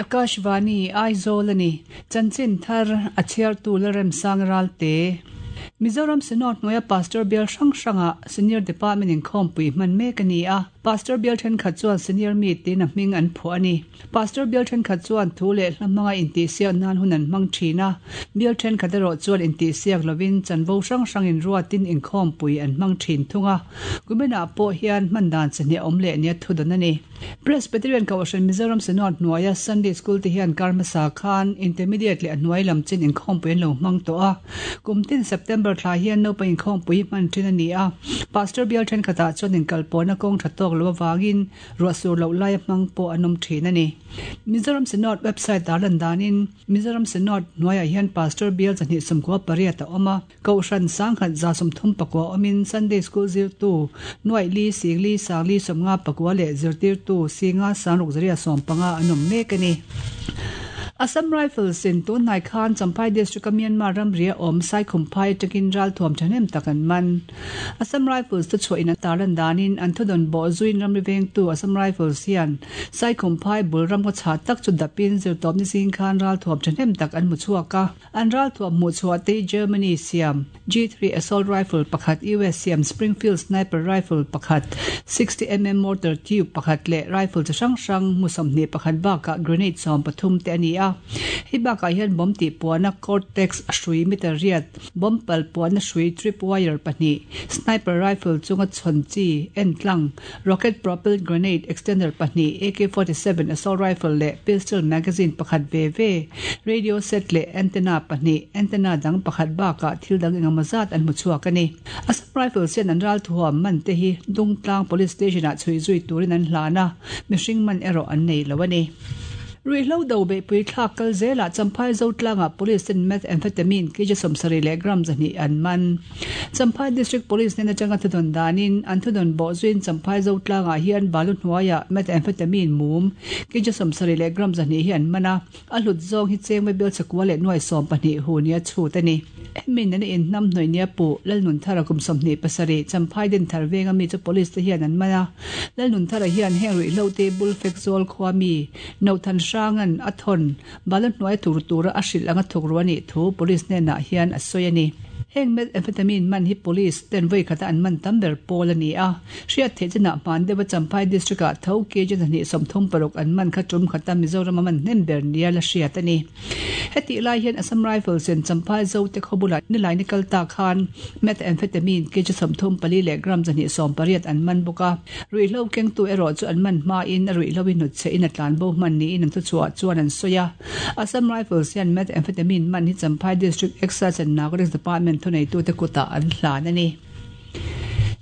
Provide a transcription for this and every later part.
Akashvani, Aizawl a ni. Chanchin thar a chhiartu Lalremsang Ralte. Mizoram Synod hnuaia Pastor bial hrang hrangah Senior Department inkhawmpui hman mek a ni a. Pastor bial thenkhat chuan Senior Meet tiin a hming an phuah a ni. Pastor bial thenkhat chuan thu leh hla hmanga intihsiak nan hun an hmang thin a, bial thenkhat erawh chuan intihsiak lovin chanvo hrang hrangin ruatin inkhawmpui an hmang thin thung a. Kuminah pawh hian hman dan chi hnih a awm leh nia thudawn a ni. Presbyterian Kohhran Mizoram Synod hnuaia Sunday School te hian kar hmasa khan Intermediate leh a hnuai lam chin inkhawmpui an lo hmang tawh a. Kum tin September thla hian naupang inkhawmpui hi hman thin a ni a. Pastor bial thenkhatah chuan inkalpawhna kawng tha tawk lo avangin ruah sur loh laia hmang pawh an awm thin a ni. Mizoram Synod website ah lan danin Mizoram Synod hnuaiah hian Pastor bial 298 a awm a. Kohhran sangkhat 35 awmin Sunday School zirtu nuaih li singli sangli 55 leh zirtirtu singa sangruk zaria 15 an awm mek a ni. Assam Rifles in tun hnai khan Champhai District a Myanmar ramri a awm Saikhumphai atangin ralthuam thahnem tak an man. Assam Rifles te chhuah in an tarlan danin an thudawn bawh zuin ramri vengtu Assam Rifles hian Saikhumphai bul ramngaw chhah tak chu dapin zirtawpni zing khan ralthuam thahnem tak an hmu chhuak a. An ralthuam hmuhchhuah te hi Germany siam G3 assault rifle pakhat, US siam Springfield sniper rifle pakhat, 60 mm mortar tube pakhat leh rifle chi hrang hrang mu 21 bakah grenade 13 te a ni a. Hei bakah hian bomb tih puana Cortex hrui meter riat, bomb pal puana hrui trip wire pahnih, sniper rifle chunga chhawn chi entlang, rocket propelled grenade extender pahnih, AK-47 assault rifle leh pistol magazine pakhat ve ve, radio set leh antenna pahnih, antenna dang pakhat bakah thil dang engemaw zat an hmu chhuak a ni. Assam Rifles hian an ralthuam man te hi Dungtlang Police Station-ah chhui zui turin an hlan a, mihring man erawh an nei lo a ni. Ruihhlo do beihpui thlak kal zelah Champhai Zotlangah Police ten Methamphetamine kg 70 leh gram 200 an man. Champhai District Police hnen atanga thudawn danin an thudawn bawh zuiin Champhai Zotlangah hian balu hnuaiah Methamphetamine mum kg 70 leh gram 200 hi an man a, a hlut zawng hi chengmai bel chakua leh nuai 12 hu nia chhut a ni. Hemi nena inhnam hnawih nia puh Lalnunthara kum 27 Champhai Dinthar venga mi chu Police te hian an man a, Lalnunthara hian heng ruihhlo te bul fek zawl khua mi Nothan Hrangan a thawn balu hnuai tur tura a hrilh anga thuk ru a nih thu Police hnenah hian a sawi a ni. Heng methamphetamine man hi Police ten vawi khata an man tam ber pawl a ni a. Hriat theih chinah hman deuha Champhai District ah tho kg 236 an man kha tum khata Mizoram a man hnem ber nia la hriat a ni. Hetih lai hian Assam Rifles in Champhai Zote khaw bulah nilai ni kal ta khan methamphetamine kg 34 leh gram 180 an man bawk a. Ruihhlo kengtu erawh chu an man hmain a ruihhlo hi hnutchhe in a tlan bo hman niin an thuchhuah chuan an sawi a. Assam Rifles hian methamphetamine man hi Champhai District Excise and Narcotics Department thuneitute kutah an hlan a ni.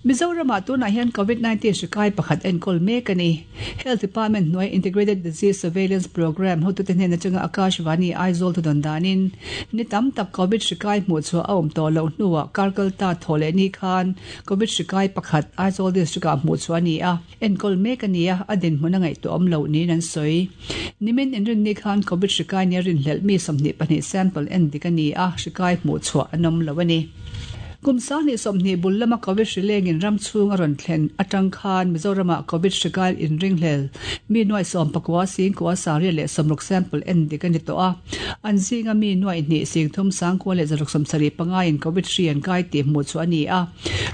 Mizoramah tunah hian Covid 19 hri kai pakhat enkawl mek a ni. Health Department hnuai Integrated Disease Surveillance Programme hotute hnen atanga Akashvani Aizawl thudawn danin ni tam tak Covid hri kai hmuhchhuah a awm tawh loh hnuah karkalta thawh leh ni khan Covid hri kai pakhat Aizawl District-ah hmuhchhuah a ni a, enkawl mek a ni a, a dinhmun a ngaihtuahawm loh niin an sawi. Nimin inrinni khan Covid hri kai nia rinhlelh mi 22 sample en dik a ni a, hri kai hmuhchhuah an awm lo a ni. Kum 2020 bul lama Covid hri lengin ram chhung a rawn thlen atang khan Mizoramah Covid hri kai inringhlel mi nuai 19 singkua sariat leh 60 sample en dik a ni tawh a, an zinga mi nuai hnih singthum sangkua leh 175 in Covid hri an kai tih hmuhchhuah a ni a.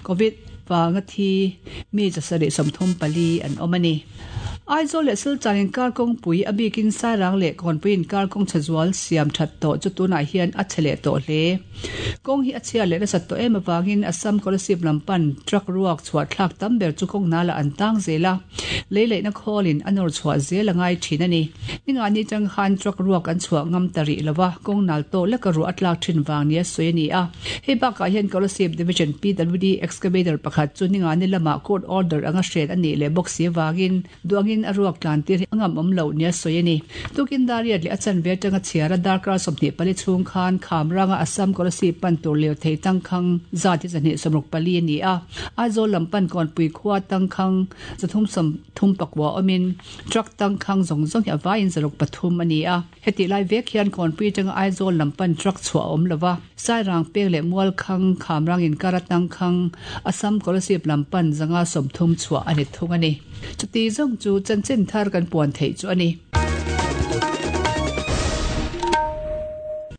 Covid vanga thi mi 734 an awm a ni. Aizawl leh Silchar inkar kawngpui a bikin Sairang leh Kawnpui inkar kawng chhe zual siam that tawh chu tunah hian a chhe leh tawh hle. Kawng hi a chhia leh nasat tawh em avangin Assam Kolasib lam pan truck ruak chhuah thlak tam ber chu kawng nalah an tang zel a, lei leihna khawlin a nawr chhuah zel a ngai thin a ni. Ningani atang khan truck ruak an chhuah ngam ta rih lova, kawng nal tawh leka ruah a tlak thin vang nia sawi a ni a. Hei bakah hian Kolasib Division PWD excavator pakhat chu ningani lamah court order anga hren a nih leh bawk si avangin duangin a ruak tlan tir hi a ngam awm loh nia sawi a ni. Tukin Dariat leh a chanve atanga chhiara darkar 24 chhung khan Khamranga Assam Kolasib pan tur lirthei tangkhang zat hi 264 a ni a, Aizawl lam pan Kawnpui khua tangkhang 339 awmin truck tangkhang zawng zawng hi a vaiin 103 a ni a. Hetih lai vek hian Kawnpui atanga Aizawl lam pan truck chhuah a awm lo va, Sairang peng leh Mualkhang, Khamrang inkar atangkhang, Assam Kolasib lam pan 130 chhuah a ni thung a ni. Chuti zawng chu chanchin thar kan puan theih chu a ni.